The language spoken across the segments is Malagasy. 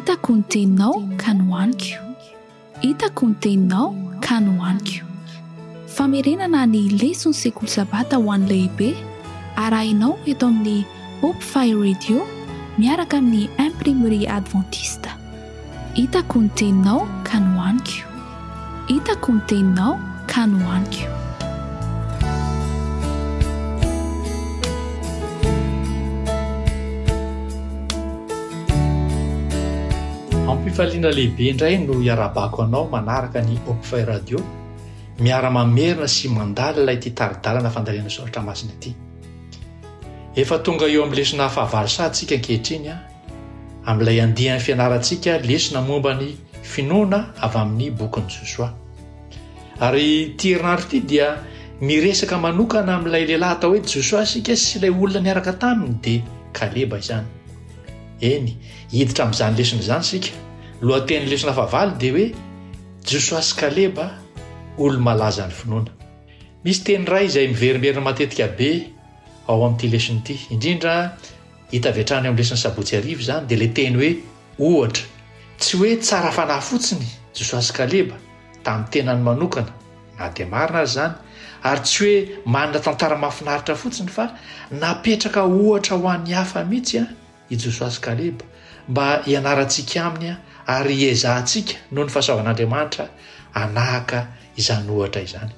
Hitako ny teninao ka nohaniko. Hitako ny teninao ka nohaniko. Famerenana ny leson'ny sekoly sabata ho an'ny lehibe, arahinao eto amin'ny Hope Fire Radio miaraka amin'ny Imprimerie Adventiste. Hitako ny teninao ka nohaniko. Hitako ny teninao ka nohaniko. Ampifaliana lehibe indray no iarahabako anao manaraka ny Hopefy Radio, miara-mamerina sy mandalina ity tari-dalana fandalinana soratra masina ity. Efa tonga eo amin'ny lesona fahavalo sahady isika ankehitriny amin'ilay andian'ny fianarantsika lesona momba ny finoana avy amin'ny bokin'i Josoa. Ary ity herinandro ity dia miresaka manokana amin'ilay lehilahy atao hoe Josoa isika sy ilay olona niaraka taminy dia Kaleba izany. Eny, hiditra amin'izany lesona izany isika. Lohatenin'ny lesona fahavalo dia hoe Josoa sy Kaleba, olo-malazan'ny finoana. Misy teny iray izay miverimberina matetika be ao amin'ity lesona ity, indrindra Hita avy hatrany ao amin'ny lesin'ny sabotsy hariva izany, dia ilay teny hoe ohatra. Tsy hoe tsara fanahy fotsiny Josoa sy Kaleba, tamin'ny tenany manokana, na dia marina aza izany, ary tsy hoe manana tantara mahafinaritra fotsiny, fa napetraka ohatra ho an'ny hafa mihitsy i Josoa sy Kaleba, mba hianarantsika aminy ary hiezahantsika, noho ny fahasoavan'Andriamanitra, hanahaka izany ohatra izany.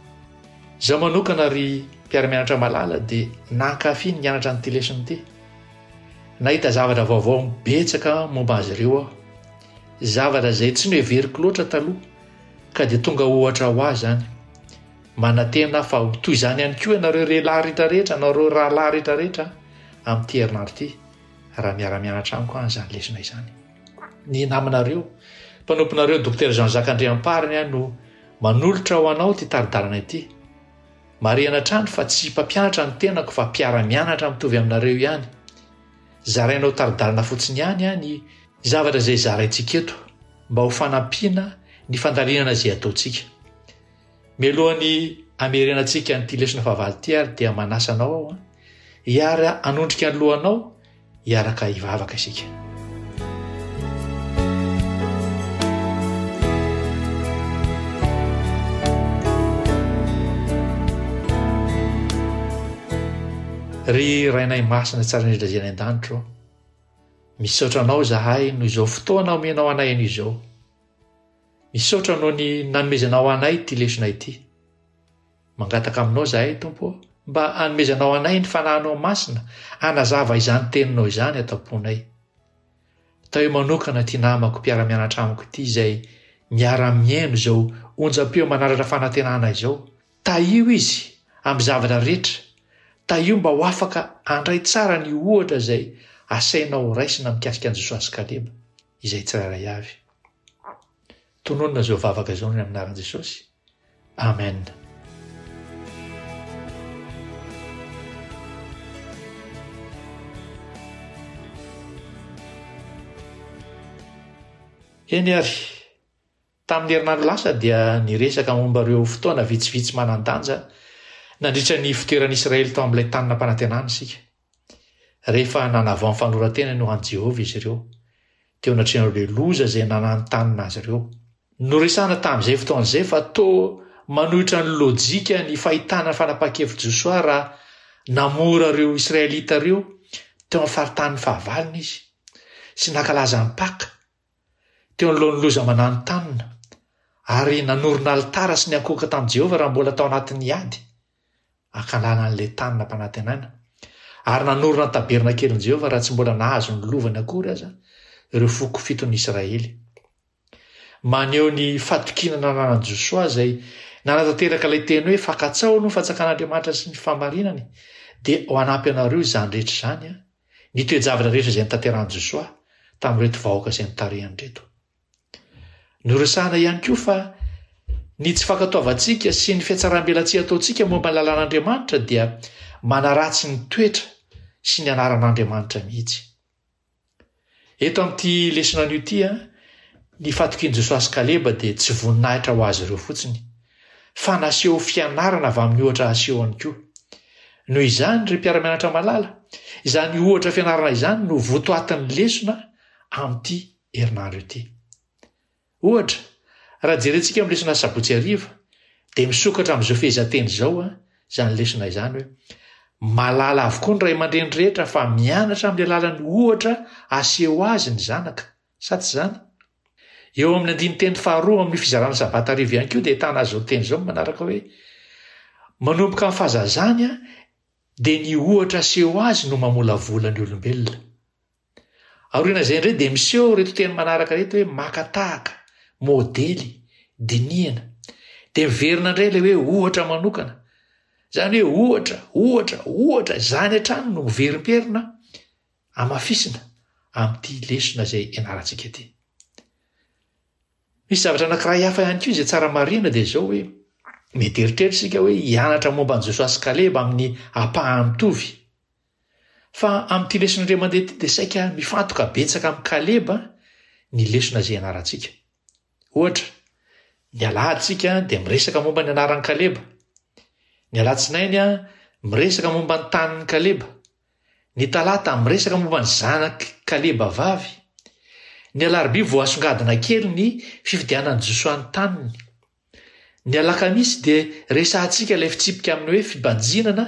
Izaho manokana ry mpiara-mianatra malala dia nankafy ny nianatra an'ity lesona ity. Nahita zavatra vaovao betsaka momba azy ireo aho. Zavatra izay tsy noheveriko loatra taloha ka dia tonga ohatra ho ahy izany. Manantena aho fa ho toy izany ihany koa ianareo lehilahy rehetrarehetra, anareo rahalahy rehetrarehetra amin'ity herinandro ity raha miara-mianatra amiko an'izany lesona izany. Ny namanareo, mpanomponareo Dokotera Jean Jacques Andriamparany no Manolotra ho anao ity tari-dalana ity. Marihana hatrany fa tsy mpampianatra ny tenako fa mpiara-mianatra mitovy aminareo ihany. Zarainao tari-dalana fotsiny ihany ny zavatra izay zaraintsika eto mba ho fanampiana ny fandalinana izay ataontsika. Mialohan'ny hamerenantsika an'ity lesona fahavalo ity ary dia manasa anao aho hiara hanondrika ny lohanao Hiaraka hivavaka isika. Ry Rainay Masina tsara indrindra izay any an-danitra ô, misaotra Anao izahay noho izao fotoana omenao anay anio izao. Misaotra noho ny nanomezanao anay ity lesona ity. Mangataka aminao izahay, Tompo ô, mba hanomezanao anay ny Fanahinao Masina hanazava izany Teninao izany ato am-ponay. Tahio manokana ity namako mpiara-mianatra amiko ity izay miara-mihaino izao onjam-peo manandratra fanantenana izao. Tahio izy amin'ny zavatra rehetra. Tahio mba ho afaka handray tsara ny ohatra izay asainao horaisina mikasika an'i Josoa sy Kaleba, izay tsirairay avy. Tononina izao vavaka izao ny amin'ny anaran'i Jesosy. Amen. Eny ary, tamin'ny herinandro lasa dia niresaka momba ireo fotoana vitsivitsy manan-danja nandritra ny fitoeran'i Israely tao amin'ilay tany nampanantenana isika. Rehefa nanavao ny fanoran-tenany ho an'i Jehovah izy ireo, teo anatrehan'ireo loza izay nananontanona azy ireo. Noresahana tamin'izay fotoana izay fa toa manohitra ny lojika ny fahitana ny fanapahan-kevitr'i Josoa raha namora ireo Israelita ireo teo amin'ny faritanin'ny fahavalony izy, sy nankalaza ny Paka, teo anoloan'ny loza mananontanona, ary nanorina alitara sy niankohoka tamin'i Jehovah raha mbola tao anatin'ny ady. hankalana an'ilay tany nampanantenaina, ary nanorina ny tabernakelin'i Jehovah raha tsy mbola nahazo ny lovany akory aza ireo foko fiton'ny Israely. Maneho ny fatokiana nananan'i Josoa izay nanatanteraka ilay teny hoe fankatsaho aloha ny fanjakan'Andriamanitra sy ny fahamarinany, dia ho hanampy anareo izany rehetra izany, ny toe-javatra rehetra izay notanterahin'i Josoa tamin'ireto vahoaka izay notarihany ireto. Noresahana ihany koa fa ny tsy fankatoavantsika sy ny fihatsarambelatsihy ataontsika momba ny lalàn'Andriamanitra dia manaratsy ny toetra sy ny anaran'Andriamanitra mihitsy. Eto amin'ity lesona anio ity, ny fatokian'i Josoa sy Kaleba dia tsy voninahitra ho azy ireo fotsiny, fa naseho fianarana avy amin'ny ohatra asehony koa. Noho izany, ry mpiara-mianatra malala, izany ohatra fianarana izany no votoatin'ny lesona amin'ity. herinandro ity. Ohatra, raha jerentsika amin'ny lesona sabotsy hariva, dia misokatra amin'izao fehezanteny izao izany lesona izany hoe, Mahalala avokoa ny ray aman-dreny rehetra fa mianatra amin'ny alalan'ny ohatra aseho azy ny zanaka, sa tsy izany? Eo amin'ny andinin-teny faharoa amin'io fizarana sabata hariva ihany koa dia ahitana izao teny izao manaraka hoe, Manomboka amin'ny fahazazany dia ny ohatra aseho azy no mamolavola ny olombelona. Aorian'izay indray dia miseho ireto teny manaraka ireto hoe maka tahaka, modely, dinihana. Dia miverina indray ilay hoe ohatra manokana. Izany hoe ohatra, ohatra, ohatra, izany hatrany no miverimberina amafisina amin'ity lesona izay ianarantsika ity. Misy zavatra anankiray hafa ihany koa izay tsara marihina dia izao hoe mety eritreritra isika hoe hianatra momba an'i Josoa sy Kaleba amin'ny ampahany mitovy. Fa amin'ity lesona indray mandeha ity dia saika mifantoka betsaka amin'i Kaleba ny lesona izay ianarantsika. Ohatra, ny alahady isika dia miresaka momba ny anaran'i Kaleba. Ny alatsinainy miresaka momba ny tanin'i Kaleba. Ny talata miresaka momba ny zanak'i Kaleba vavy. Ny alarobia voasongadina kely ny fifidianan'i Josoa ny taniny. Ny alakamisy dia resahantsika ilay fitsipika amin'ny hoe fibanjinana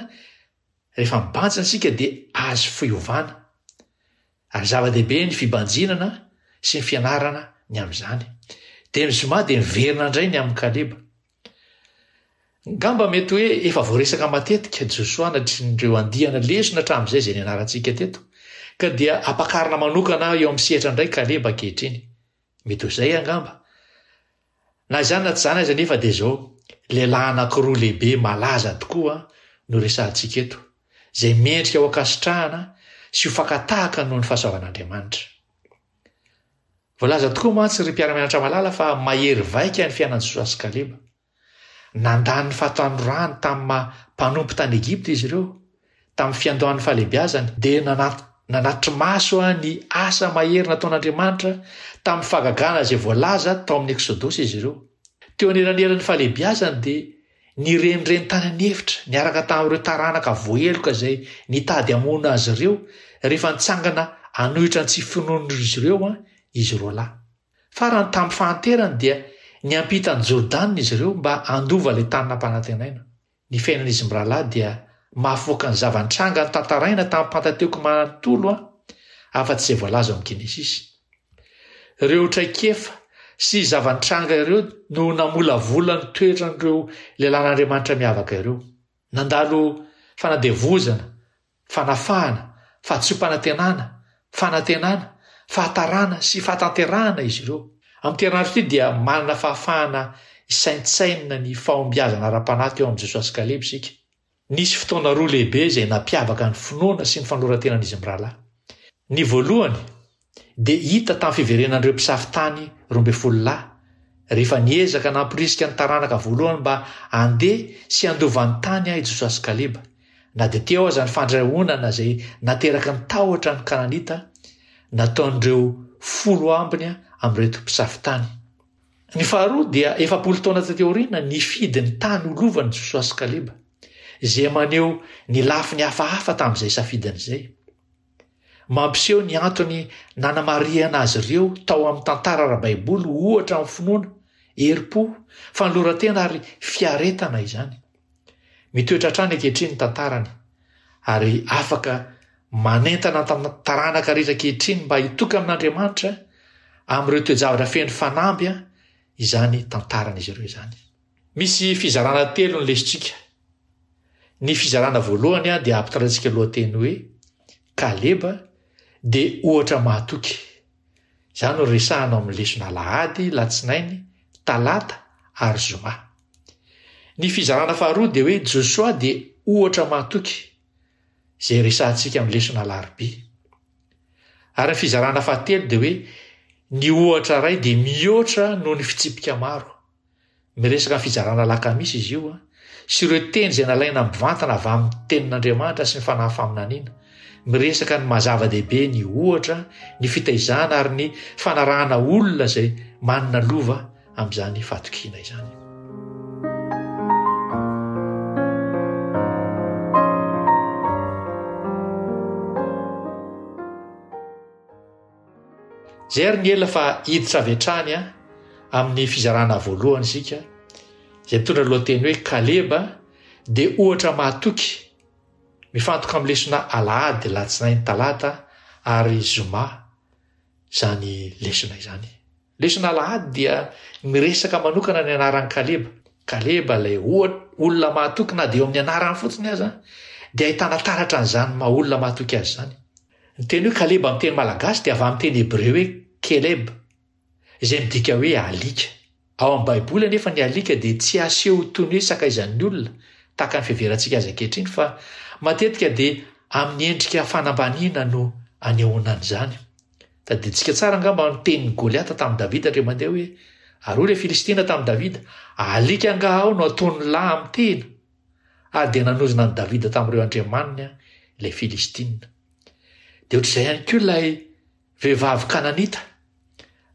Rehefa mibanjina isika dia azo fiovana. Ary zava-dehibe ny fibanjinana sy ny fianarana ny amin'izany. Dia ny zoma dia miverina indray ny amin'i Kaleba. Ngamba mety hoe efa voaresaka matetika Josoa natrin'ireo andiana lesona hatramin'izay izay nianarantsika teto, ka dia ampakarina manokana eo amin'ny sehatra indray Kaleba ankehitriny. Mety ho izay angamba. Na izany na tsy izany aza anefa dia izao, lehilahy anankiroa lehibe malaza tokoa no resahantsika eto, izay mendrika ho ankasitrahana sy ho fakan-tahaka noho ny fahasoavan'Andriamanitra. Voalaza tokoa mantsy ry mpiara-mianatra malala fa mahery vaika ny fiainan'i Josoa sy Kaleba. Nandany ny fahatanorany tamin'ny maha mpanompo tany Egypta izy ireo. Tamin'ny fiandohan'ny fahalehibiazany, dia nanatri-maso ny asa mahery nataon'Andriamanitra tamin'ny fahagagana izay voalaza tao amin'ny Eksodosy izy ireo. Teo anelanelan'ny fahalehibiazany dia nirenireny tany an'efitra niaraka tamin'ireo taranaka voaheloka izay nitady hamono azy ireo rehefa nitsangana hanohitra ny tsy finoan'izy ireo izy roalahy. Farany, tamin'ny fahanterany dia niampita an'i Jordana izy ireo mba handova ilay tany nampanantenaina. Ny fiainan'izy mirahalahy dia mahafoaka ny zava-nitranga notantaraina tamin'ny Pantateko manontolo afa-tsy izay voalaza ao amin'ny Genesisy. Ireo traikefa sy zava-nitranga ireo no namolavola ny toetran'ireo lehilahin'Andriamanitra miavaka ireo. Nandalo fanadevozana fanafahana, fahadisoam-panantenana, fanantenana, fahatarana sy fahatanterahana izy ireo. Amin'ity herinandro ity dia manana fahafahana hisaintsainina ny fahombiazana ara-panahy teo amin'i Josoa sy Kaleba isika. Nisy fotoana roa lehibe izay nampiavaka ny finoana sy ny fanoloran-tenan'izy mirahalahy. Ny voalohany dia hita tamin'ny fiverenan'ireo mpisafo tany 12 lahy, rehefa niezaka namporisika ny taranaka voalohany mba handeha sy handova ny tany i Josoa sy Kaleba, na dia teo aza ny fandrahonana izay nateraky ny tahotra ny Kananita nataon'ireo folo ambiny amin'ireto mpisafo tany. Ny faharoa dia 40 taona taty aoriana nifidy ny tany ho lovany Josoa sy Kaleba, izay maneho ny lafiny hafahafa tamin'izay safidiny izay. Mampiseho ny antony nanamarihana azy ireo tao amin'ny tantara ara-baiboly ho ohatra amin'ny finoana, herim-po, fanoloran-tena ary fiaretana izany. Mitoetra hatrany ankehitriny ny tantarany ary afaka manentana ny taranaka rehetra ankehitriny mba hitoky amin'Andriamanitra amin'ireo toe-javatra feno fanamby izany tantaran'izy ireo izany. Misy fizarana telo ny lesotsika. Ny fizarana voalohany dia ampitaraintsika lohateny hoe Kaleba dia ohatra mahatoky. Izany no resahana ao amin'ny lesona alahady, latsinainy, talata ary zoma. Ny fizarana faharoa dia hoe Josoa dia ohatra mahatoky, izay resahantsika amin'ny lesona alarobia. Ary ny fizarana fahatelo dia hoe ny ohatra iray dia mihoatra noho ny fitsipika maro. Miresaka ny fizarana alakamisy izy io sy ireo teny izay nalaina mivantana avy amin'ny Tenin'Andriamanitra sy ny fanahy faminaniana. Miresaka ny maha zava-dehibe ny ohatra, ny fitaizana ary ny fanarahana olona izay manana lova amin'izany fahatokiana izany. Izay ary ny ela fa hiditra avy hatrany amin'ny fizarana voalohany isika, izay mitondra ny lohateny hoe Kaleba dia ohatra mahatoky mifantoka amin'ny lesona alahady, alatsinainy, talata ary zoma izany lesona izany. Lesona alahady dia miresaka manokana ny anaran'i Kaleba. Kaleba ilay olona mahatoky na dia eo amin'ny anarany fotsiny aza dia ahitana taratra an'izany maha olona mahatoky azy izany. Ny teny hoe Kaleba amin'ny teny malagasy dia avy amin'ny teny hebreo hoe Keleb, izay midika hoe alika. Ao amin'ny Baiboly anefa ny alika dia tsy aseho toy ny hoe sakaizan'ny olona, tahaka ny fiheverantsika azy ankehitriny, fa matetika dia amin'ny endrika fanambaniana no anehoana an'izany. Tadidintsika tsara angamba ny tenin'i Goliata tamin'i Davida indray mandeha hoe, Ary hoy ilay Filistina tamin'i Davida, Alika angaha aho no ataon'ny lahy amin'ny tehina? Ary dia nanozona an'i Davida tamin'ireo andriamaniny ilay Filistina. Dia ohatr'izay ihany koa ilay vehivavy kananita,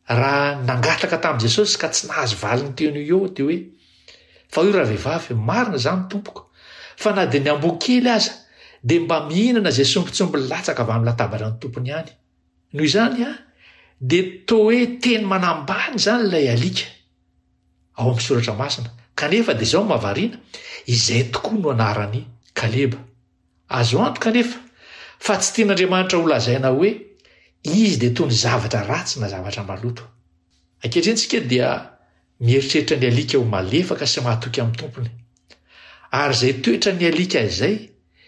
raha nangataka tamin'i Jesosy ka tsy nahazo valiny teo no eo, dia hoe, Fa hoy ravehivavy, Marina izany, Tompoko, fa na dia ny amboa kely aza dia mba mihinana izay sombintsombiny latsaka avy amin'ny latabatra ny tompony ihany. Noho izany, dia toa hoe teny manambany izany ilay alika ao amin'ny soratra masina. Kanefa dia izao no mahavariana, izay tokoa no anaran'i Kaleba. Azo antoka anefa fa tsy tian'Andriamanitra holazaina hoe izy dia toy ny zavatra ratsy na zavatra maloto. Ankehitriny isika dia mieritreritra ny alika ho malefaka sy mahatoky amin'ny tompony. Ary izay toetran'ny alika izay,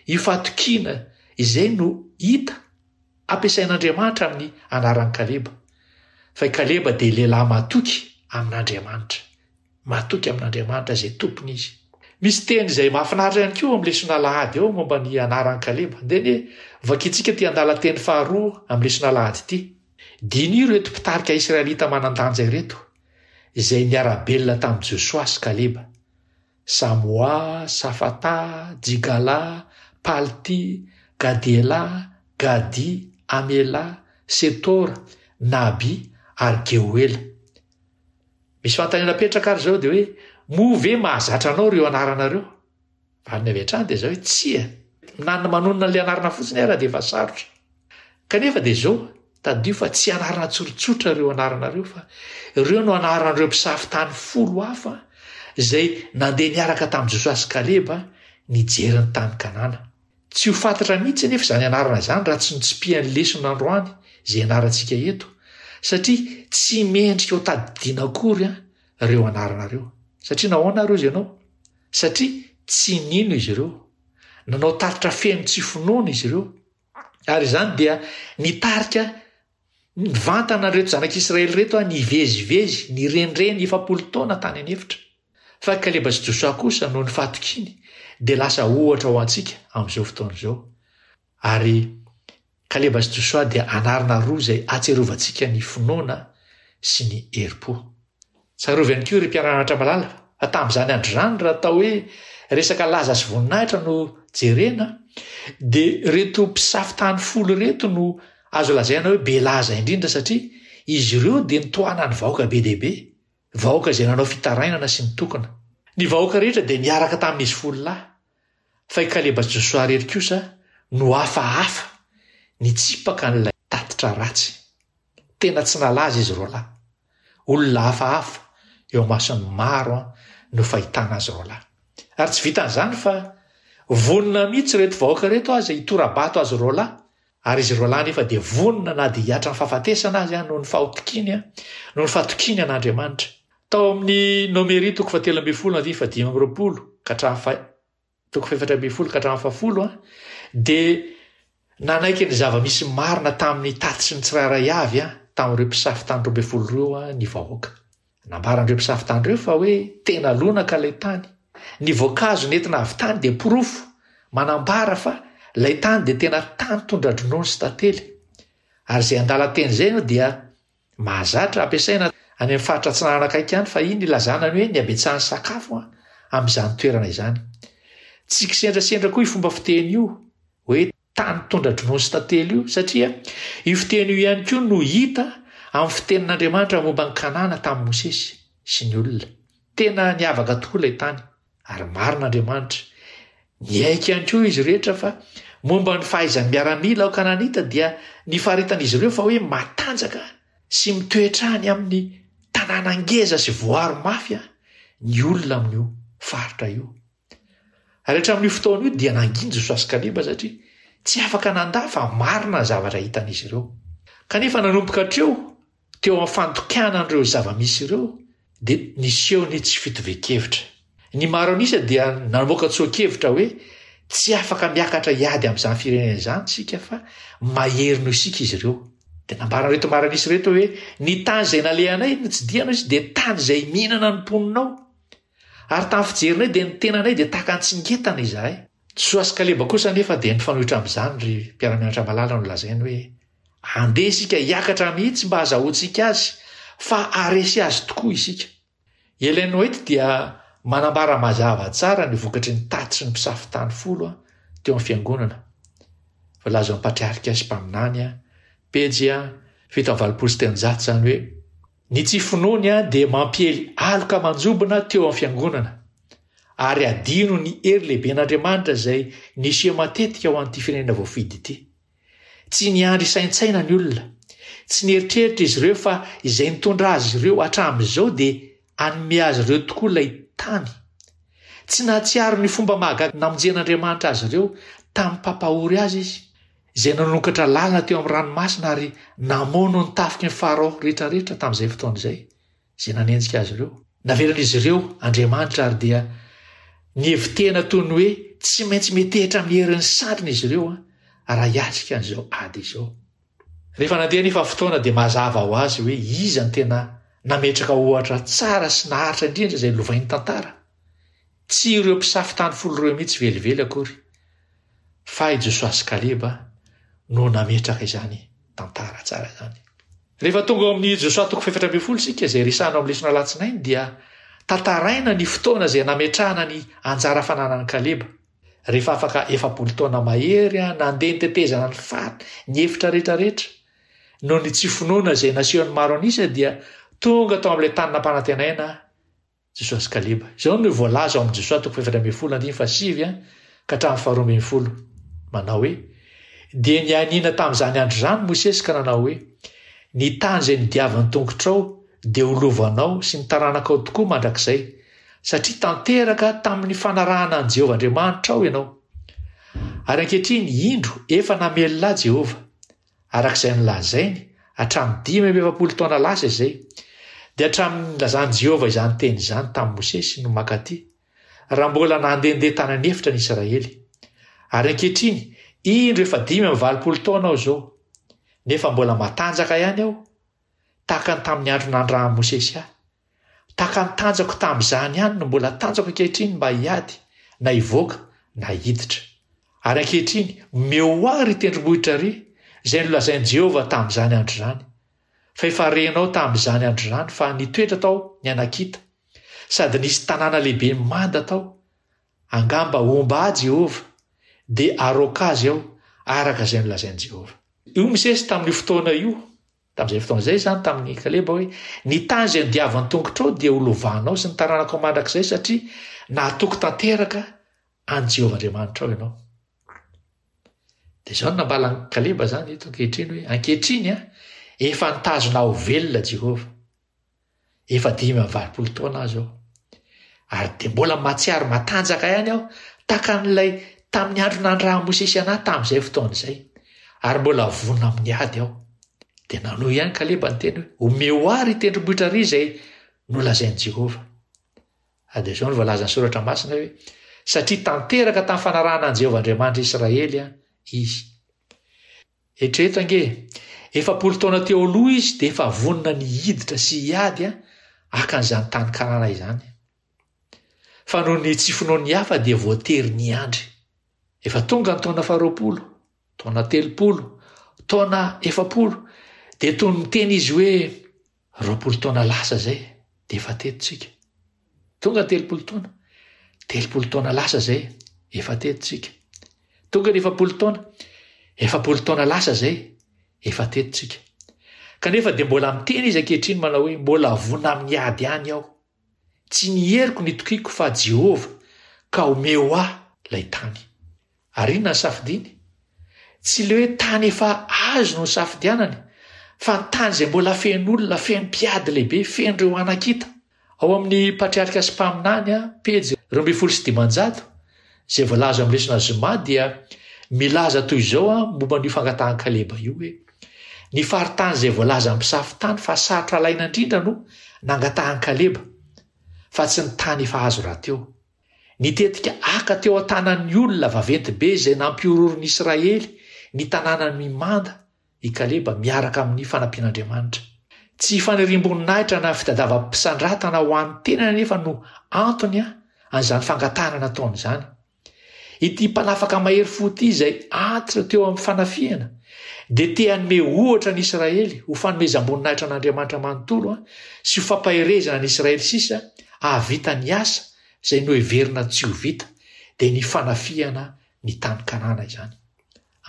io fahatokiana izay no hita ampiasain'Andriamanitra amin'ny anaran'i Kaleba. Fa i Kaleba dia lehilahy matoky amin'Andriamanitra. Matoky amin'Andriamanitra izay tompony izy. Misy teny izay mahafinaritra ihany koa amin'ny lesona alahady ao momba ny anaran'i Kaleba. Andeha anie vakintsika ity andalan-teny faharoa amin'ny lesona alahady ity. Diniho ireto mpitarika israelita manan-danja ireto, izay niara-belona tamin'i Josoa sy Kaleba. Samoa, Safata, Jigala, Palti, Gadiela, Gadi, Amela, Setora, Naby ary Geoela. Misy fanontaniana apetraka ary izao dia hoe, moa ve mahazatra anao ireo anarana ireo? Valiny avy hatrany dia izao hoe tsia. Na ny manonona an'ilay anarana fotsiny ara dia efa sarotra. Kanefa dia izao, tadidio fa tsy anarana tsotsotra ireo anarana ireo fa ireo no anaran'ireo mpisafo tany folo hafa izay nandeha niaraka tamin'i Josoa sy Kaleba nijery ny tany Kanana. Tsy ho fantatra mihitsy anefa izany anarana izany raha tsy notsipihan'ny lesona androany izay ianarantsika eto, satria tsy mendrika ho tadidiana akory ireo anarana ireo. Satria nahoana ary hozy ianao? Satria tsy nino izy ireo. Nanao tatitra feno tsy finoana izy ireo. Ary izany dia nitarika nivantana ireto zanak'Israely ireto nivezivezy, nirenireny 40 taona tany an'efitra. Fa i Kaleba sy Josoa kosa noho ny fahatokiany dia lasa ohatra ho antsika amin'izao fotoana izao. Ary Kaleba sy Josoa dia anarana roa izay ahatsiarovantsika ny finoana sy ny herim-po. Tsarovy ihany koa ry mpiara-mianatra malala fa tamin'izany andro izany raha atao hoe resaka laza sy voninahitra no jerena dia ireto mpisafo tany folo ireto no azo lazaina hoe be laza indrindra satria izy ireo dia nitohanan'ny vahoaka be dia be. Vahoaka izay nanao fitarainana sy nitokona. Ny vahoaka rehetra dia niaraka tamin'izy folo lahy, fa i Kaleba sy Josoa irery kosa no hafahafa nitsipaka an'ilay tatitra ratsy. Tena tsy nalaza izy roalahy. Olona hafahafa eo imason'ny maro no fahitana azy roalahy. Ary tsy vitan'izany fa vonona mihitsy ireto vahoaka ireto aza hitora-bato azy roalahy Ary izy roalahy anefa dia vonona na dia hihatra ny fahafatesana aza noho ny fahotokiany, noho ny fatokiany an'Andriamanitra. Tao amin'ny Nomery toko fahatelo ambin'ny folo andininy fahadimy amby roapolo ka hatramin'ny faha, toko fahefatra ambin'ny folo ka hatramin'ny fahafolo dia nanaiky ny zava-misy marina tamin'ny tatitry ny tsirairay avy tamin'ireo mpisafo tany 12 ireo ny vahoaka. Nambaran'ireo mpisafo tany ireo fa hoe tena lonaka ilay tany. Ny voankazo nentina avy tany dia porofo manambara fa ilay tany dia tena tany tondra-dronono sy tantely. Ary izay andalan-teny izay no dia mahazatra ampiasaina any amin'ny faritra atsinanana akaiky any fahiny ilazana ny hoe ny habetsahan'ny sakafo amin'izany toerana izany. Tsy kisendrasendra koa io fomba fiteny io hoe tany tondra-dronono sy tantely io, satria io fiteny io ihany koa no hita amin'ny fitenin'Andriamanitra momba an'i Kanana tamin'i Mosesy sy ny olona. Tena niavaka tokoa ilay tany, ary marina Andriamanitra. Niaiky ihany koa izy rehetra fa momba ny fahaizan'ny miaramila ao Kananita dia nifaritan'izy ireo fa hoe matanjaka. sy mitoetra any amin'ny tanàna ngeza sy voaro mafy ny olona amin'io faritra io. Ary hatramin'io fotoana io dia nanginy Josoa sy Kaleba satria tsy afaka nandà fa marina ny zavatra hitan'izy ireo. Kanefa nanomboka hatreo, teo amin'ny fandikana an'ireo zava-misy ireo, dia niseho ny tsy fitovian-kevitra. Ny maro an'isa dia namoaka tsoa-kevitra hoe tsy afaka miakatra hiady amin'izany firenena izany isika fa mahery noho isika izy ireo. Dia nambaran'ireto maro an'isa ireto hoe ny tany izay nalehanay notsidihana izy dia tany izay mihinana ny mponina ao. Ary tamin'ny fijerinay dia ny tenanay dia tahaka ny tsingetana izahay. Josoa sy Kaleba kosa anefa dia nifanohitra amin'izany ry mpiara-mianatra malala no lazainy hoe andeha isika hiakatra mihitsy mba hazahoantsika azy fa haharesy azy tokoa isika. I Ellen White dia manambara mazava tsara ny vokatry ny tatitry ny mpisafo tany folo teo amin'ny fiangonana. Voalaza ao amin'ny Patriarika sy Mpaminany, pejy 387 izany hoe Ny tsy finoany dia mampiely aloka manjombona teo amin'ny fiangonana, ary adino ny hery lehiben'Andriamanitra izay niseho matetika ho an'ity firenena voafidy ity. Tsy niandry hisaintsaina ny olona. Tsy nieritreritra izy ireo fa izay nitondra azy ireo hatramin'izao dia hanome azy ireo tokoa ilay tany. Tsy nahatsiaro ny fomba mahagaga namonjen'Andriamanitra azy ireo tamin'ny mpampahory azy izy. izay nanokatra lalana teo amin'ny ranomasina ary namono ny tafiky ny Farao rehetrarehetra tamin'izay fotoana izay, izay nanenjika azy ireo. Navelan'izy ireo Andriamanitra ary dia nihevi-tena toy ny hoe tsy maintsy metehitra amin'ny herin'ny sandriny izy ireo raha hiatrika an'izao ady izao. Rehefa nandeha anefa ny fotoana dia mazava ho azy hoe iza no tena nametraka ohatra tsara sy naharitra indrindra izay lovain'ny tantara. Tsy ireo mpisafo tany folo ireo mihitsy velively akory. Fa i Josoa sy Kaleba no nametraka izany tantara tsara izany. Rehefa tonga ao amin'ny Josoa toko fahefatra ambin'ny folo isika, izay resahana ao amin'ny lesona alatsinainy, dia tantaraina ny fotoana izay nametrahana ny anjara fananan'i Kaleba. Rehefa afaka 40 taona mahery nandeha nitetezana ny faritra, ny efitra rehetrarehetra, noho ny tsy finoana izay nasehon'ny maro an'isa dia tonga tao amin'ilay tany nampanantenaina Josoa sy Kaleba. Izao no voalaza ao amin'ny Josoa toko faha-14 andininy fahasivy ka hatramin'ny faharoa ambin'ny folo, manao hoe, Dia nianiana tamin'izany andro izany Mosesy ka nanao hoe, Ny tany izay nodiavin'ny tongotrao dia ho lovanao sy ny taranakao tokoa mandrakizay, satria tanteraka tamin'ny fanarahana an'i Jehovah Andriamanitrao ianao. Ary ankehitriny, indro, efa namelona ahy Jehovah, araka izay nolazainy hatramin'ny 45 taona lasa izay, dia hatramin'ny nilazan'i Jehovah izany teny izany tamin'i Mosesy no mankaty, raha mbola nandehandeha tany an'efitra ny Israely. Ary ankehitriny, indro efa 85 taona aho izao, nefa mbola matanjaka ihany aho, tahaka ny tamin'ny andro nandrahan'i Mosesy ahy. Tahaka ny tanjako tamin'izany ihany no mbola tanjako ankehitriny mba hiady, na hivoaka, na hiditra. Ary ankehitriny, omeo ho ahy, ry tendrombohitra ry, izay nolazain'i Jehovah tamin'izany andro izany. Fa efa renao tamin'izany andro izany fa nitoetra tao ny Anakita, sady nisy tanàna lehibe mimanda tao. Angamba homba ahy Jehovah, dia haroaka azy aho, araka izay nolazain'i Jehovah. Hoy Mosesy tamin'io fotoana io, Tamin'izay fotoana izay izany tamin'i Kaleba hoe, Ny tany izay nodiavin'ny tongotrao dia ho lovanao sy ny taranakao mandrakizay satria nahatoky tanteraka an'i Jehovah Andriamanitrao ianao. Dia izao no nambalan'i Kaleba izany eto ankehitriny hoe, ankehitriny efa nitazona aho velona Jehovah. Efa 85 taona aho izao. Ary dia mbola mahatsiaro matanjaka ihany aho, tahaka an'ilay tamin'ny andro nandrahan'i Mosesy an'ahy tamin'izay fotoana izay. Ary mbola vonona amin'ny ady aho. Dia nanohy ihany Kaleba niteny hoe, Omeo ahy ry tendrombohitra ry izay nolazain'i Jehovah. Ary dia izao no voalazan'ny Soratra Masina hoe, Satria tanteraka tamin'ny fanarahana an'i Jehovah Andriamanitr'i Israely izy. Eritrereto ange e! 40 taona teo aloha izy dia efa vonona ny hiditra sy hiady haka an'izany tany Kanana izany. Fa noho ny tsy finoan'ny hafa dia voatery niandry. Efa tonga ny taona faharoapolo, taona 30, taona 40, dia toy ny miteny izy hoe 20 taona lasa izay dia efa teto tsika. Tonga ny 30 taona, 30 taona lasa izay efa teto tsika. Tonga ny 40 taona, 40 taona lasa izay efa teto tsika. Kanefa dia mbola miteny izy ankehitriny manao hoe mbola vonona amin'ny ady ihany aho. Tsy ny heriko nitokiako fa Jehovah ka omeo ahy ilay tany. Ary inona ny safidiny? Tsy ilay hoe tany efa azo no nisafidianany, Fa ny tany izay mbola feno olona, feno mpiady lehibe, feno ireo Anakita. Ao amin'ny Patriarika sy Mpaminany, pejy 512, izay voalaza ao amin'ny lesona zoma dia milaza toy izao momba an'io fangatahan'i Kaleba io hoe, Ny faritany izay voalazan'ny mpisafo tany fa sarotra alaina indrindra no nangatahan'i Kaleba, fa tsy ny tany efa azo rahateo. Nitetika haka teo an-tanan'ny olona vaventy be izay nampihorohoro ny Israely ny tanànany mimanda i Kaleba miaraka amin'ny fanampian'Andriamanitra. Tsy faniriam-boninahitra na fitadiavam-pisandratana ho an'ny tenany anefa no antony an'izany fangatahana nataony izany. Ity mpanafaka mahery fo ity izay antitra teo amin'ny fanafihana dia te hanome ohatra ny Israely ho fanomezam-boninahitra an'Andriamanitra manontolo sy ho fampaherezana ny Israely sisa hahavita ny asa izay noheverina tsy ho vita, dia ny fanafihana ny tany Kanana izany.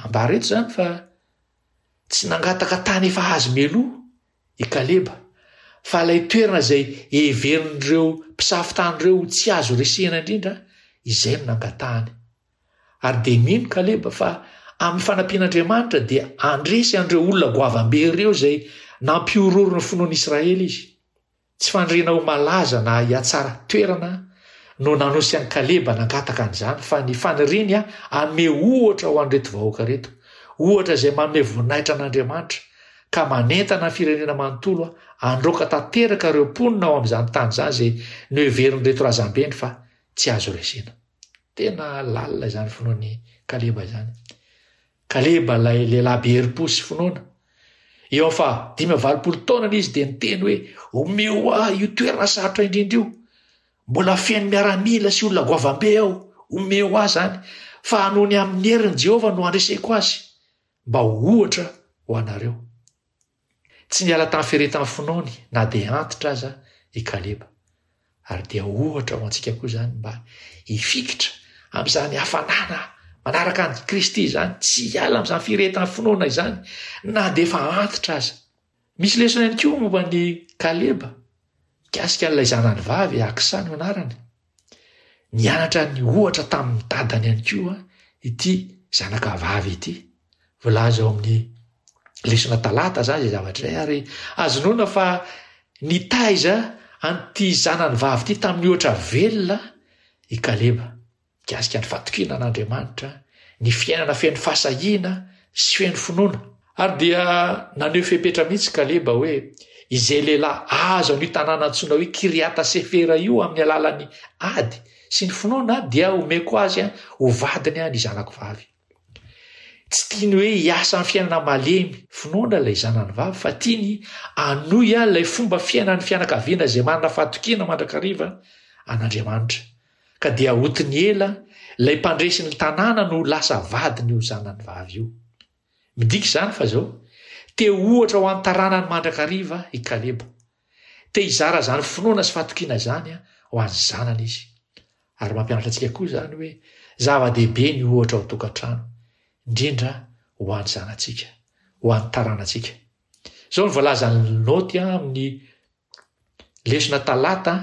Ambara eto izany fa tsy nangataka tany efa azo mialoha i Kaleba, fa ilay toerana izay heverin'ireo mpisafo tany ireo ho tsy azo resehina indrindra, izay no nangatahany. Ary dia mino Kaleba fa amin'ny fanampian'Andriamanitra dia handresy an'ireo olona goavam-be ireo izay nampihorohoro ny finoan'Israely izy. Tsy faniriana ho malaza na hihatsara toerana no nanosy an'i Kaleba nangataka an'izany, fa ny faniriany hanome ohatra ho an'ireto vahoaka ireto, ohatra izay manome voninahitra an'Andriamanitra, ka manentana ny firenena manontolo handroaka tanteraka ireo mponina ao amin'izany tany izany izay noheverin'ireto razambeny fa tsy azo resena. Tena lalina izany finoan'i Kaleba izany. Kaleba ilay lehilahy be herim-po sy finoana. Eo amin'ny faha 85 taonany izy dia niteny hoe, Omeo ahy io toerana sarotra indrindra io. Mbola feno miaramila sy olona goavam-be ao. Omeo ahy izany, fa noho ny amin'ny herin'i Jehovah no handreseko azy, mba ho ohatra ho anareo. Tsy niala tamin'ny firehetan'ny finoany na dia antitra aza i Kaleba. Ary dia ohatra ho antsika koa izany mba hifikitra amin'izany hafanana manaraka an'i Kristy izany, tsy hiala amin'izany firehetan'ny finoana izany na dia efa antitra aza. Misy lesona ihany koa momba an'i Kaleba mikasika an'ilay zanany vavy, Aksa no anarany. Nianatra ny ohatra tamin'ny dadany ihany koa ity zanaka vavy ity. Voalaza ao amin'ny lesona talata izany izay zavatra izay ary azo inoana fa nitaiza an'ity zanany vavy ity tamin'ny ohatra velona i Kaleba. Mikasika ny fatokiana an'Andriamanitra, ny fiainana feno fahasahiana sy feno finoana. Ary dia naneho fepetra mihitsy Kaleba hoe, Izay lehilahy azo an'io tanàna antsoina hoe Kiriata-sefera io amin'ny alalan'ny ady sy ny finoana dia homeko azy ho vadiny ny zanako vavy. Tsy tiany hoe hiasa amin'ny fiainana malemy finoana ilay zanany vavy fa tiany hanohy ilay fomba fiainan'ny fianakaviana izay manana fahatokiana mandrakariva an'Andriamanitra. Ka dia Otniela, ilay mpandresy ny tanàna no lasa vadin'io zanany vavy io. Midika izany fa izao, te ho ohatra ho an'ny taranany mandrakariva i Kaleba. Te hizara izany finoana sy fahatokiana izany ho an'ny zanany izy. Ary mampianatra antsika koa izany hoe zava-dehibe ny ohatra ao an-tokantrano, indrindra ho an'ny zanatsika, ho an'ny taranantsika. Izao no voalazan'ny naoty amin'ny Lesona talata,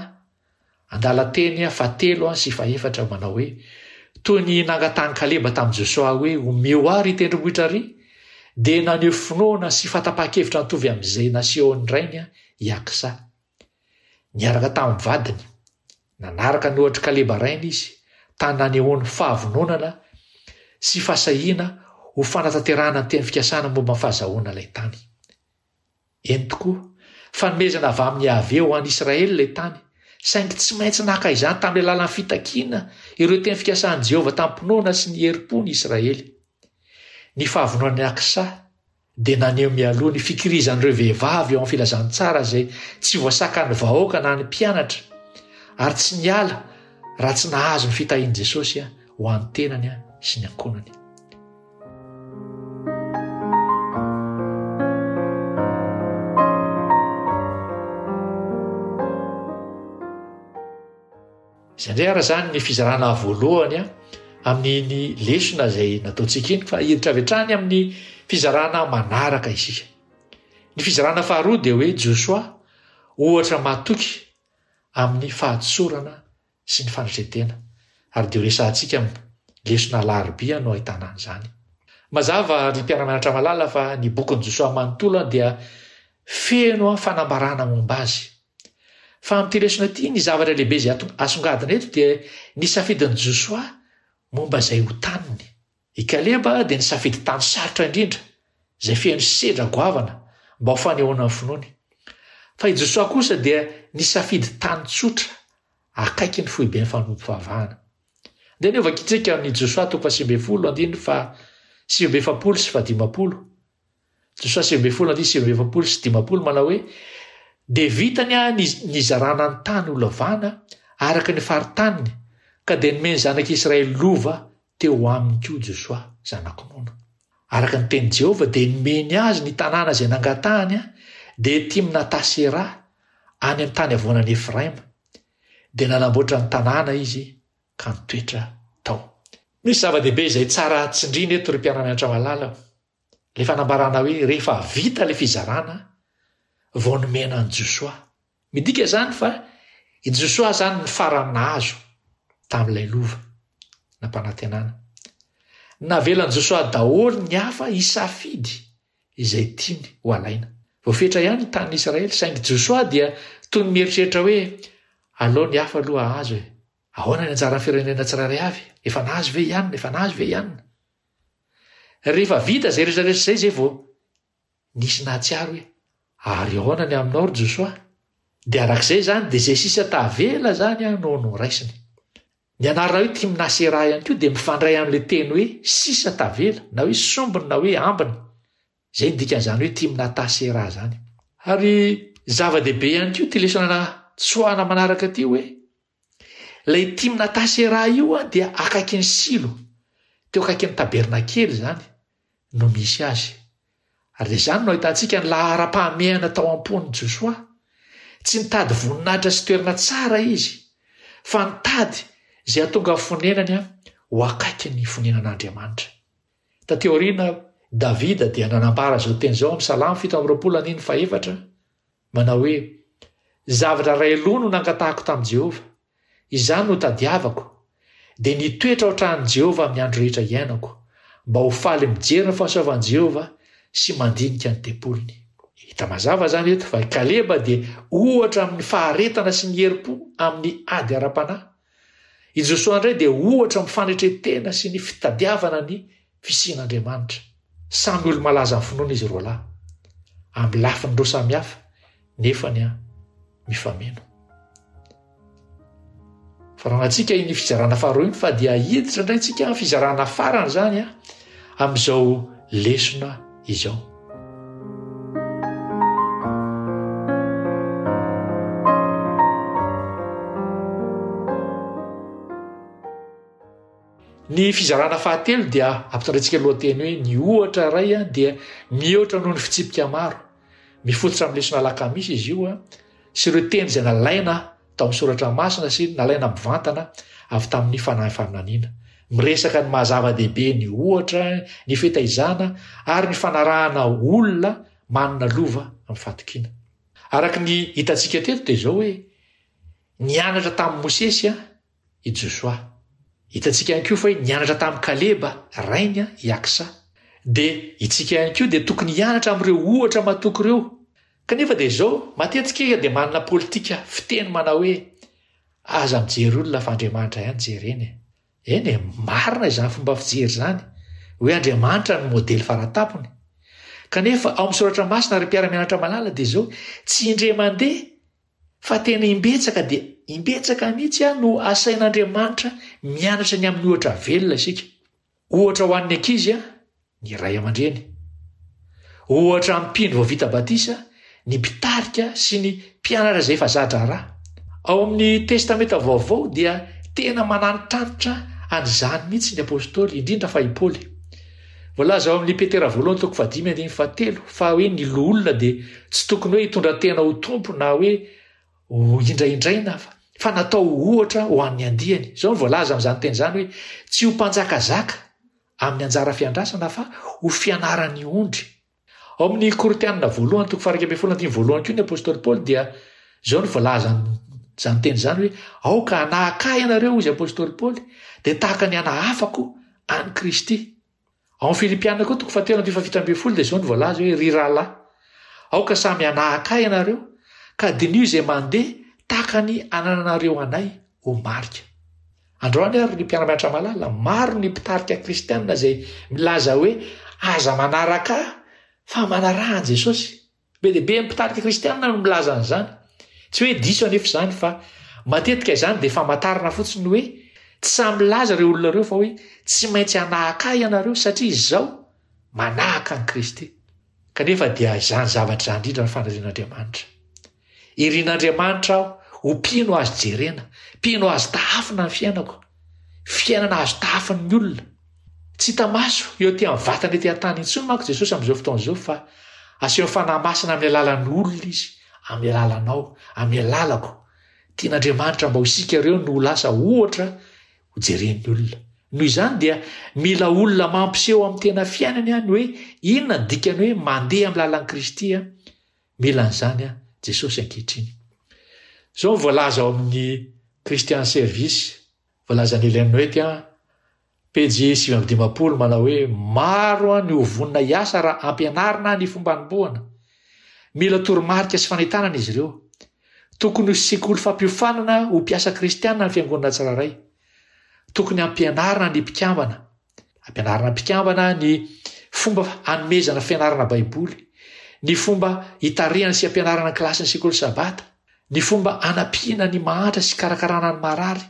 andalan-teny fahatelo sy fahefatra manao hoe, Toy ny nangatahan'i Kaleba tamin'i Josoa hoe, Omeo ahy ry tendrombohitra ry, dia naneho finoana sy fahatapahan-kevitra nitovy amin'izay nasehon'ny rainy i Aksa. Niaraka tamin'ny vadiny, nanaraka ny ohatr'i Kaleba rainy izy, tany nanehoany fahavononana sy fahasahiana ho fanatanterahana ny teny fikasana momba ny fahazahoana ilay tany. Eny tokoa, fanomezana avy amin'i Yaveh ho an'i Israely ilay tany, saingy tsy maintsy naka izany tamin'ny alalan'ny fitakiana ireo teny fikasan'i Jehovah tamim-pinoana sy ny herim-po ny Israely. Ny fahavononan'i Aksa dia naneho mialoha ny fikirizan'ireo vehivavy ao amin'ny filazantsara izay tsy voasakan'ny vahoaka na ny mpianatra, ary tsy niala raha tsy nahazo ny fitahian'i Jesosy ho an'ny tenany sy ny ankohonany. Izay indray ara izany ny fizarana voalohany amin'iny lesona izay nataontsika iny fa hiditra avy hatrany amin'ny fizarana manaraka isika. Ny fizarana faharoa dia hoe Josoa ohatra matoky amin'ny fahatsorana sy ny fanetren-tena ary dia ho resahantsika amin'ny lesona alarobia no ahitana an'izany. Mazava ry mpiara-mianatra malala fa ny bokin'i Josoa manontolo dia feno fanambarana momba azy. Fa amin'ity lesona ity, ny zavatra lehibe izay asongadina eto dia ny safidin'i Josoa momba izay ho taniny. I Kaleba dia nisafidy tany sarotra indrindra, izay feno sedra goavana, mba ho fanehoana ny finoany. Fa i Josoa kosa dia nisafidy tany tsotra, akaiky ny foiben'ny fanompoam-pivavahana. Andeha anie hovakintsika amin'ny Josoa toko faha-19 andininy faha-49 sy faha-50. Josoa 19 andininy 49 sy 50 manao hoe, Dia vitany ny nizarana ny tany ho lavana araka ny faritaniny, ka dia nomen'ny zanak'Israely lova teo aminy koa Josoa, zanak'i Nona. Araka ny tenin'i Jehovah, dia nomeny azy ny tanàna izay nangatahany, dia Timnata-sera, any amin'ny tany havoanan'i Efraima. Dia nanamboatra ny tanàna izy ka nitoetra tao. Misy zava-dehibe izay tsara tsindriana eto, ry mpiara-mianatra malala. Ilay fanambarana hoe rehefa vita ilay fizarana vao nomena an'i Josoa. Midika izany fa i Josoa izany ny farany nahazo tamin'ilay lova nampanantenana. Navelan'i Josoa daholo ny hafa hisafidy izay tiany ho alaina. Voafetra ihany ny tanin'i Israely, saingy Josoa dia toy ny mieritreritra hoe aleo ny hafa aloha hahazo e. Ahoana ny anjaran'ny firenena tsirairay avy? Efa nahazo ve i anona? Efa nahazo ve i anona? Rehefa vita izay rehetra rehetra izay, izay vao nisy nahatsiaro hoe, Ary ahoana ny aminao ry Josoa? Dia araka izay izany, dia izay sisa tavela izany no noraisiny. Ny anarana hoe Timna-seraha ihany koa dia mifandray amin'ilay teny hoe sisa tavela, na hoe sombiny na hoe ambiny. Izay no dikan'izany hoe Timnata-seraha izany. Ary zava-dehibe ihany koa ity lesona tsoahana manaraka ity hoe, Ilay Timnata-seraha io dia akaikin'i Silo, teo akaikin'ny tabernakely izany no misy azy. Ary dia izany no ahitantsika ny laharam-pahamehana tao am-pon'i Josoa. Tsy nitady voninahitra sy toerana tsara izy, fa nitady izay hahatonga ny fonenany ho akaikin'ny fonenan'Andriamanitra. Taty aoriana, Davida dia nanambara izao teny izao amin'ny Salamo 27 andininy fahefatra, Manao hoe, Zavatra iray loha no nangatahako tamin'i Jehovah, izany no tadiavako, dia ny hitoetra ao an-tranon'i Jehovah amin'ny andro rehetra iainako, mba ho faly mijery ny fahasoavan'i Jehovah sy mandinika ny tempoliny. Hita mazava izany eto fa i Kaleba dia ohatra amin'ny faharetana sy ny herim-po amin'ny ady ara-panahy. I Josoa indray dia ohatra amin'ny fanetren-tena sy ny fitadiavana ny fisian'Andriamanitra. Samy olo-malaza amin'ny finoana izy roalahy, amin'ny lafiny roa samihafa, nefany mifameno. Faranantsika iny fizarana faharoa iny fa dia hiditra indray tsika amin'ny fizarana farany izany amin'izao lesona izao. Ny fizarana fahatelo dia ampitondraintsika lohateny hoe ny ohatra iray dia mihoatra noho ny fitsipika maro. Mifototra amin'ny lesona alakamisy izy io sy ireo teny izay nalaina tao amin'ny soratra masina sy nalaina mivantana avy tamin'ny fanahy faminaniana. Miresaka ny maha zava-dehibe ny ohatra, ny fitaizana ary ny fanarahana olona manana lova amin'ny fahatokiana. Araka ny hitantsika teto dia izao hoe nianatra tamin'i Mosesy i Josoa. Hitantsika ihany koa fa hoe nianatra tamin'i Kaleba, rainy, i Aksa. Dia itsika ihany koa dia tokony hianatra amin'ireo ohatra matoky ireo. Kanefa dia izao, matetika isika dia manana politika fiteny manao hoe, aza mijery olona fa Andriamanitra ihany jerena e. Eny e, marina izany fomba fijery izany, hoe Andriamanitra no modely faratampony. Kanefa ao amin'ny soratra masina ry mpiara-mianatra malala dia izao, tsy indray mandeha Fa tena imbetsaka dia imbetsaka mihitsy aho no asain'Andriamanitra mianatra ny amin'ny ohatra velona isika. Ohatra ho an'ny ankizy, ny ray aman-dreny. Ohatra amin'ny mpino vao vita batisa, ny mpitarika sy ny mpianatra izay efa za-draharaha. Ao amin'ny Testamenta Vaovao dia tena manantitrantitra an'izany mihitsy ny apostoly, indrindra fa i Paoly. Voalaza ao amin'ny Petera voalohany toko fahadimy andininy fahatelo fa hoe ny loholona dia tsy tokony hoe hitondra tena ho tompo na hoe ho indraindraina fa natao ho ohatra ho an'ny andiany. Izao no voalaza amin'izany teny izany hoe tsy ho mpanjakazaka amin'ny anjara fiandrasana fa ho fianaran'ny ondry. Ao amin'ny Korintianina voalohany toko faha 11 andininy voalohany koa ny apostoly Paoly dia izao no voalazan'izany teny izany hoe aoka hanahaka ahy ianareo hoy izy apostoly Paoly dia tahaka ny hanahafako an'i Kristy. Ao amin'ny Filipiana koa toko fahatelo andininy faha-17 dia izao no voalaza hoe, Ry rahalahy, aoka samy hanahaka ahy ianareo, ka diniho izay mandeha tahaka ny anananareo anay ho marika. Androany ary ry mpiara-mianatra malala, maro ny mpitarika kristiana izay milaza hoe aza manaraka ahy fa manaraha an'i Jesosy. Be dia be ny mpitarika kristiana no milaza an'izany. Tsy hoe diso anefa izany fa matetika izany dia famantarana fotsiny hoe tsy sahy milaza ireo olona ireo fa hoe tsy maintsy hanahaka ahy ianareo satria izao manahaka an'i Kristy. Kanefa dia izany zavatra izany indrindra no fanirian'Andriamanitra. Irin'Andriamanitra aho ho mpino azo jerena, mpino azo tahafina ny fiainako, fiainana azo tahafin'ny olona. Tsy hita maso eo aty amin'ny vatana ety an-tany intsony manko Jesosy amin'izao fotoana izao fa asehon'ny Fanahy Masina amin'ny alalan'ny olona Izy, amin'ny alalanao, amin'ny alalako. Tian'Andriamanitra mba ho isika ireo no ho lasa ohatra ho jeren'ny olona. Noho izany dia mila olona mampiseho amin'ny tena fiainany ny hoe inona ny dikany hoe mandeha amin'ny lalan'i Kristy Mila an'izany Jesosy ankehitriny. Izao no voalaza ao amin'ny Christian Service, voalazan'i Ellen White, pejy 59, manao hoe, Maro ny ho vonona hiasa raha ampianarina ny fomba hanombohana. Mila toromarika sy fanentanana izy ireo. Tokony ho sekoly fampiofanana ho mpiasa kristiana ny fiangonana tsirairay. Tokony hampianarina ny mpikambana. Ampianarina mpikambana ny fomba hanomezana fianarana Baiboly, ny fomba hitarihana sy hampianarana ny kilasin'ny sekoly Sabata, ny fomba hanampiana ny mahantra sy hikarakarana ny marary,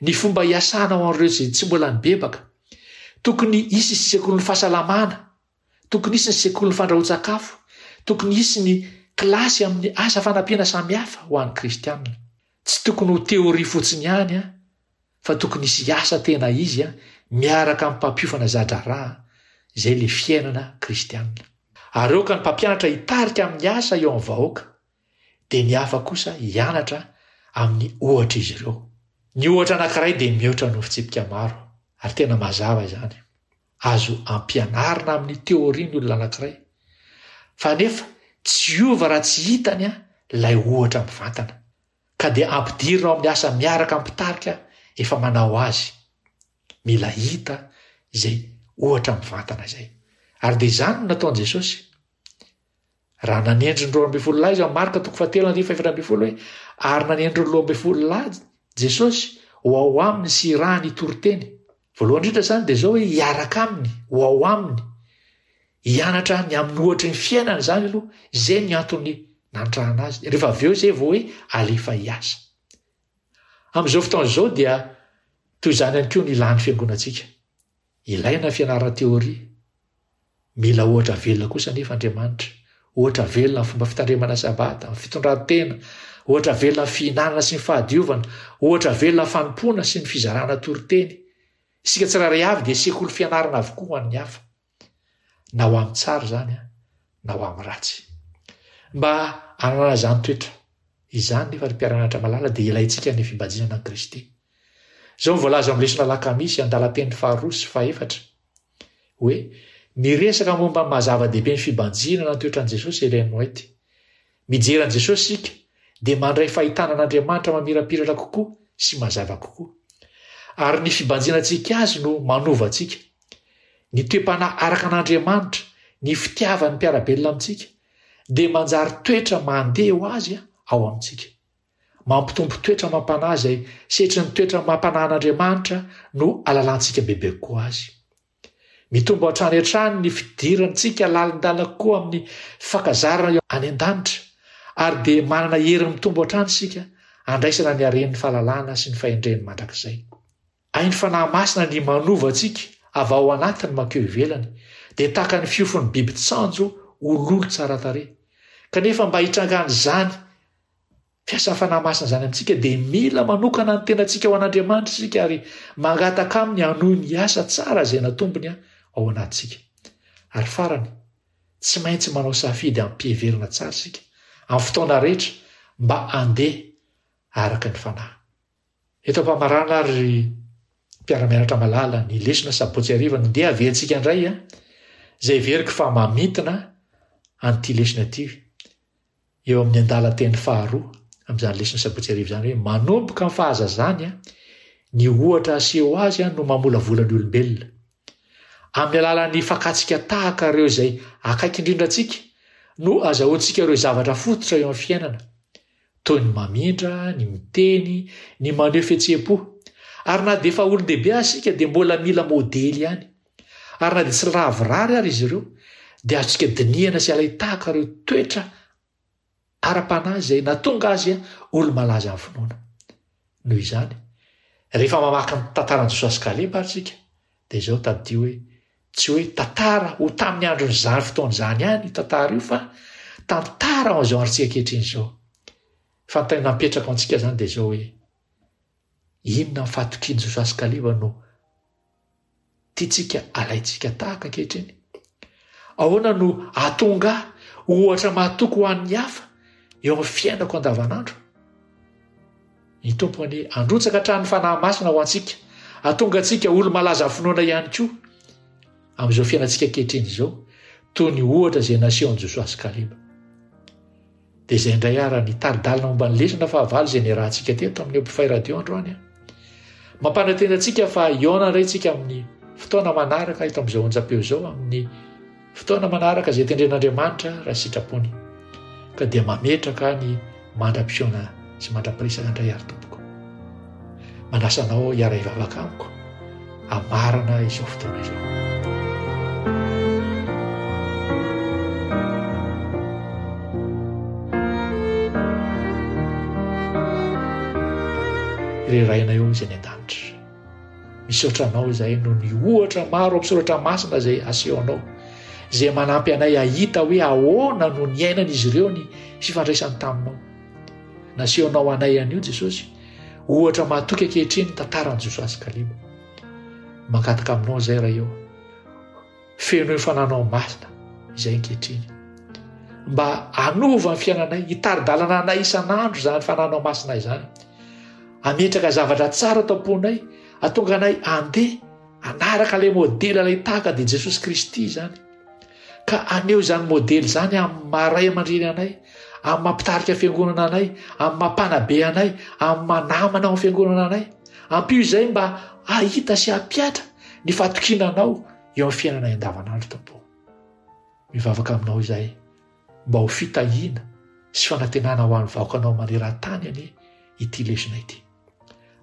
ny fomba hiasana ho an'ireo izay tsy mbola nibebaka. Tokony hisy sekolin'ny fahasalamana, tokony hisy ny sekolin'ny fandrahoan-tsakafo, tokony hisy ny kilasy amin'ny asa fanampiana samihafa ho an'ny kristiana. Tsy tokony ho teoria fotsiny ihany fa tokony hisy hiasa tena izy miaraka amin'ny mpampiofana za-draharaha, izay ilay fiainana kristiana. Ary aoka ny mpampianatra hitarika amin'ny asa eo amin'ny vahoaka, dia ny hafa kosa hianatra amin'ny ohatr'izy ireo. Ny ohatra anankiray dia mihoatra noho fitsipika maro, ary tena mazava izany. Azo ampianarina amin'ny teoria ny olona anankiray, fa nefa tsy hiova raha tsy hitany ilay ohatra mivantana. Ka dia ampidirina ao amin'ny asa miaraka amin'ny mpitarika efa manao azy. Mila hita izay ohatra mivantana izay. Ary dia izany no nataon'i Jesosy. Raha nanendry ny 12 lahy izy ao Marka toko fahatelo andininy fahefatra ambin'ny folo hoe ary nanendry ny 12 lahy Jesosy ho ao aminy sy hirahany hitory teny. Voalohany indrindra izany dia izao hoe hiaraka aminy, ho ao aminy, hianatra ny amin'ny ohatry ny fiainana izany aloha, izay ny antony nantrahana azy. Rehefa avy eo izay vao hoe alefa hiasa. Amin'izao fotoana izao dia toy izany ihany koa ny ilàn'ny fiangonantsika. Ilaina ny fianarana teoria. Mila ohatra velona kosa anefa Andriamanitra. Ohatra velona amin'ny fomba fitandremana Sabata, amin'ny fitondran-tena, ohatra velona amin'ny fihinanana sy ny fahadiovana, ohatra velona amin'ny fanompoana sy ny fizarana toriteny. Isika tsirairay avy dia sekoly fianarana avokoa ho an'ny hafa. Na ho amin'ny tsara izany, na ho amin'ny ratsy. Mba hananana izany toetra izany nefa ry mpiara-mianatra malala dia ilaintsika ny fibanjinana an'i Kristy. Izao no voalaza ao amin'ny lesona Alakamisy, andalan-teny faharoa sy fahefatra, hoe, Miresaka momba ny maha-zava-dehibe ny fibanjinana ny toetran'i Jesosy Ellen White. Mijery an'i Jesosy isika, dia mandray fahitana an'Andriamanitra mamirapiratra kokoa sy mazava kokoa. Ary ny fibanjinantsika azy no manova antsika. Ny toe-panahy araka an'Andriamanitra, ny fitiavan'ny mpiara-belona amintsika, dia manjary toetra mandeha ho azy ao amintsika. Mampitombo toetra amam-panahy izay setrin'ny toetra amam-panahin'Andriamanitra no alalantsika bebe kokoa azy. Mitombo hatrany hatrany ny fidirantsika lalindalina kokoa amin'ny fankazarana eo any an-danitra, ary dia manana hery mitombo hatrany isika handraisana ny haren'ny fahalalana sy ny fahendreny mandrakizay. Hain'ny Fanahy Masina ny manova antsika avy ao anatiny mankeo ivelany, dia tahaka ny fiofon'ny biby tsanjo ho lolo tsara tarehy. Kanefa mba hitrangan'izany fiasan'ny Fanahy Masina izany amintsika dia mila manokana ny tenantsika ho an'Andriamanitra isika ary mangataka Aminy hanohy ny asa tsara izay natombony ao anatintsika. Ary farany, tsy maintsy manao safidy amim-piheverana tsara isika amin'ny fotoana rehetra mba handeha araka ny Fanahy. Eto am-pamarana ary ry mpiara-mianatra malala ny lesona sabotsy hariva no ndeha averintsika indray a, izay heveriko fa mamintina an'ity lesona ity eo amin'ny andalan-teny faharoa amin'izany lesona sabotsy hariva izany hoe manomboka amin'ny fahazazany a, ny ohatra aseho azy a no mamolavola ny olombelona. Amin'ny alalan'ny fakantsika tahaka ireo izay akaiky indrindra antsika no azahoantsika ireo zavatra fototra eo amin'ny fiainana, toy ny mamindra, ny miteny, ny maneho fihetseham-po. Ary na dia efa olon-dehibe aza isika dia mbola mila modely ihany. Ary na dia tsy lavorary ary izy ireo, dia azontsika dinihana sy alain-tahaka ireo toetra ara-panahy izay nahatonga azy olo-malaza amin'ny finoana. Noho izany, rehefa mamaky ny tantaran'i Josoa sy Kaleba ary isika, dia izao tadidio hoe tsy hoe tantara ho tamin'ny andron'izany fotoana izany ihany io tantara io fa tantara ho an'izao androntsika ankehitriny izao. Fanontaniana mipetraka ho antsika izany dia izao hoe inona ny fahatokian'i Josoa sy Kaleba no tiantsika alaintsika tahaka ankehitriny? Ahoana no hahatonga ahy ho ohatra mahatoky ho an'ny hafa eo amin'ny fiainako andavanandro? Ny Tompo anie handrotsaka hatrany ny Fanahy Masina ho antsika, hahatonga antsika olo-malaza finoana ihany koa amin'izao fiainantsika ankehitriny izao, toy ny ohatra izay nasehon'i Josoa sy Kaleba. Dia izay indray ara ny tari-dalana momba ny lesona fahavalo izay niarahantsika teto amin'ny Opify Radio androany. Mampanantena antsika fa hihaona indray tsika amin'ny fotoana manaraka eto amin'izao onjam-peo izao amin'ny fotoana manaraka izay tendren'Andriamanitra raha sitrapony. Ka dia mametraka ny mandra-pihaona sy mandra-piresaka indray ary tompoko. Manasa anao hiara-hivavaka amiko hamarana izao fotoana izao. Ry Rainay ô izay any an-danitra, misaotra Anao izahay noho ny ohatra maro amin'ny soratra masina izay asehonao, izay manampy anay hahita hoe ahoana no niainan'izy ireo ny fifandraisany taminao. Nasehonao anay anio Jesosy, ohatra mahatoky ankehitriny ny tantaran'i Josoa sy Kaleba. Mangataka aminao izay Ray ô, fenoy fananao masina izay ankehitriny. Mba hanova ny fiainanay, hitari-dalana anay isan'andro izany fananao masina izany. Hametraka zavatra tsara ato am-ponay, hatonga anay handeha hanaraka ilay modely ilay tahaka dia Jesosy Kristy izany. Ka haneho izany modely izany amin'ny maha ray aman-dreny anay, amin'ny maha mpitarika fiangonana anay, amin'ny maha mpanabe anay, amin'ny maha namana ao amin'ny fiangonana anay. Ampio izay mba hahita sy hampihatra ny fahatokiana anao eo amin'ny fiainanay andavanandro, Tompo. Mivavaka aminao izahay mba ho fitahiana sy fanantenana ho an'ny vahoakanao maneran-tany anie ity lesona ity.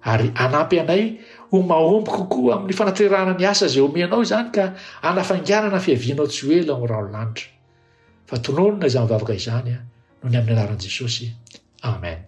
Ary hanampy anay ho mahomby kokoa amin'ny fanaterahana ny asa izay omenao izany ka hanafainganana ny fiavianao tsy ho ela ao amin'ny rahon'ny lanitra. Fa tononina izany vavaka izany noho ny amin'ny anaran'i Jesosy. Amen.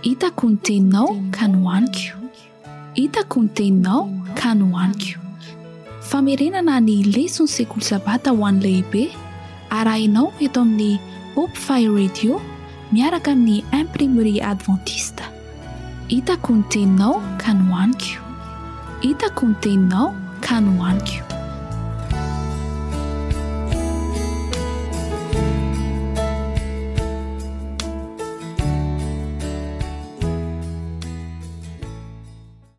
Hitako ny teninao ka nohaniko. Hitako ny teninao ka nohaniko. Famerenana ny leson'ny sekoly sabata ho an'ny lehibe, arahinao eto amin'ny Hope Fire Radio miaraka amin'ny Imprimerie Adventiste. Hitako ny teninao ka nohaniko. Hitako ny teninao ka nohaniko.